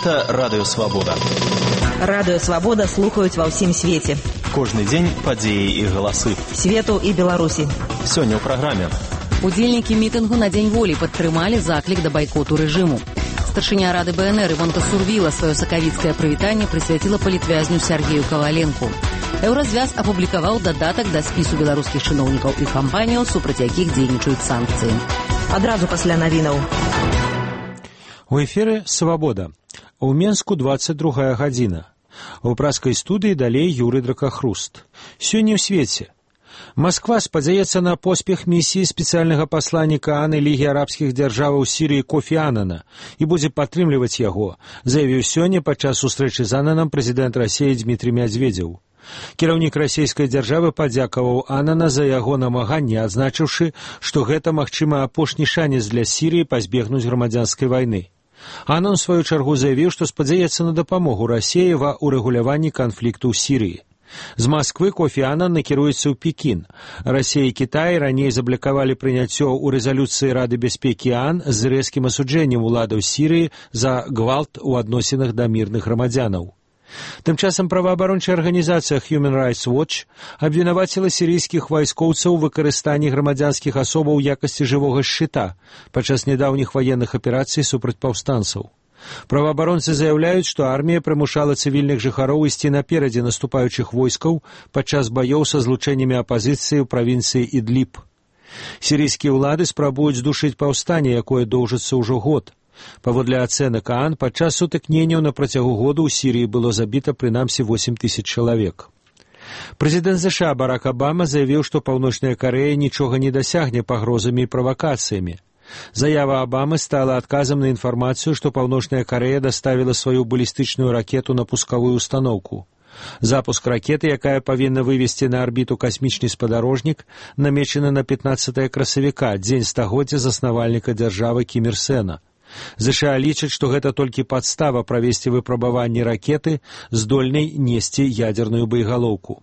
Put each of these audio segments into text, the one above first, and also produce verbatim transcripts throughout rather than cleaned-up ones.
Гэта Радыё Свабода. Радыё Свабода слухаюць ва ўсім свеце. Кожны дзень падзеі і галасы. Свету і Беларусі. Сёння ў праграме. Удзельнікі мітынгу на Дзень волі падтрымалі заклік да байкоту рэжыму. Старшыня Рады БНР Івонка Сурвіла сваё сакавіцкае прывітанне прысвяціла палітвязню Сергею Каваленку. Еўразвяз апублікаваў дадатак да спісу беларускіх чыноўнікаў і кампаніяў, супраць якіх дзейнічаюць санкцыі. Адразу пасля навінаў. У эфіры «Свабода». У Менску двадцать другая гадзіна. У праскай студыі далей Юрый Дракахруст. Сёння ў свеце. Масква спадзяецца на поспех місіі спецыяльнага пасланніка АН Лігі арабскіх дзяржаваў у Сірыі Кофі Анана і будзе падтрымліваць яго, заявіў сёння падчас сустрэчы з Ананам прэзідэнт Расіі Дмітрий Мядзведзеў. Кіраўнік расійскай дзяржавы падзякаваў Анана за яго намаганне, адзначыўшы, што гэта, магчыма, апошні шанец для Сірыі пазбегнуць грамадзянскай вайны. Анан, у сваю чаргу, заявіў, што спадзяецца на дапамогу Расіі ва ўрэгуляванні канфлікту ў Сірыі. З Масквы Кофі Анан накіруецца ў Пекін. Расія і Кітай раней заблакавалі прыняццё ў рэзалюцыі Рады бяспекі АН з рэзкім асуджэннем уладаў Сірыі за гвалт у адносінах да мірных грамадзянаў. Тым часам праваабарончая арганізацыя Human Rights Watch абвінаваціла сірыйскіх вайскоўцаў у выкарыстанні грамадзянскіх асобаў у якасці жывога шчыта падчас нядаўніх ваенных аперацый супраць паўстанцаў. Праваабаронцы заяўляюць, што армія прымушала цывільных жыхароў ісці наперадзе наступаючых войскаў падчас баёў са злучэннямі апазіцыі ў правінцыі Ідліб. Сірыйскія ўлады спрабуюць здушыць паўстанне, якое доўжыцца ўжо год. Паводле ацэнак ААН, падчас сутыкненняў на працягу года ў Сірыі было забіта прынамсі восемь тысяч чалавек. Прэзідэнт ЗША Барак Абама заявіў, што Паўночная Карэя нічога не дасягне пагрозамі і правакацыямі. Заява Абамы стала адказам на інфармацыю, што Паўночная Карэя даставіла сваю балістычную ракету на пускавую установку. Запуск ракеты, якая павінна вывесці на арбіту касмічны спадарожнік, намечаны на пятнаццатае красавіка, дзень стагоддзя заснавальніка дзяржавы Кім Ір Сэна. ЗША лічаць, што гэта толькі падстава правесці выпрабаванні ракеты, здольнай несці ядзерную боегалоўку.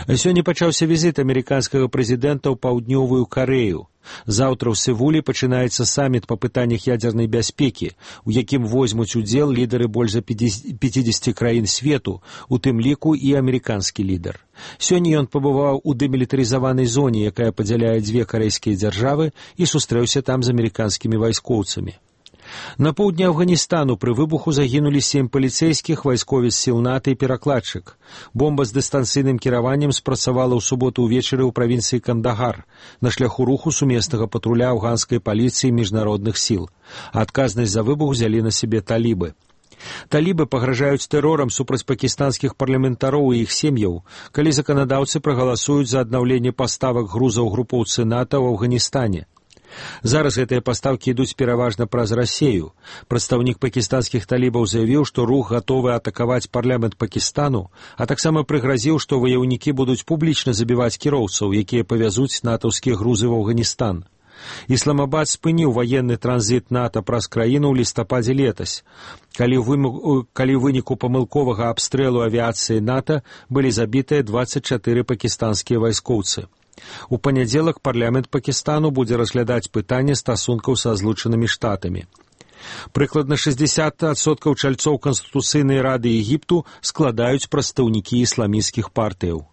Сёння пачаўся візіт амерыканскага прэзідэнта ў паўднёвую Карэю. Заўтра ў Сеуле пачынаецца саміт па пытаннях ядзернай бяспекі, у якім возьмуць удзел лідары больш за пяцідзесяці краін свету, у тым ліку і амерыканскі лідар. Сёння ён пабываў у дэмілітарызаванай зоне, якая падзяляе дзве карэйскія дзяржавы, і сустрэўся там з амерыканскімі вайскоўцамі. На поўдні Афганістану пры выбуху загінулі сем паліцэйскіх, вайсковец сіл НАТО і перакладчык. Бомба з дыстанцыйным кіраваннем спрацавала ў суботу ўвечары ў правінцыі Кандагар на шляху руху сумеснага патруля афганскай паліцыі і міжнародных сіл. Адказнасць за выбух узялі на сябе талібы. Талібы пагражаюць тэрорам супраць пакістанскіх парламентароў і іх сем'яў, калі заканадаўцы прагаласуюць за аднаўленне паставак грузаў групоўцы НАТО ў Афганістане. Зараз гэтыя пастаўкі ідуць пераважна праз Расею. Прадстаўнік пакістанскіх талібаў заявіў, што рух гатовы атакаваць парламент Пакістану, а таксама прыгразіў, што ваяўнікі будуць публічна забіваць кіроўцаў, якія павязуць натаўскія грузы ў Афганістан. Ісламабад спыніў ваенны транзіт НАТО праз краіну ў лістападзе летась, калі ў выніку памылковага абстрэлу авіяцыі НАТО былі забітыя дваццаць чатыры пакістанскія вайскоўцы. У панядзелак парламент Пакістану будзе разглядаць пытанне стасункаў са злучанымі штатамі. Прыкладна шэсцьдзесят адсоткаў чальцоў Канстытуцыйнай рады Егіпту складаюць прадстаўнікі ісламісцкіх партыяў.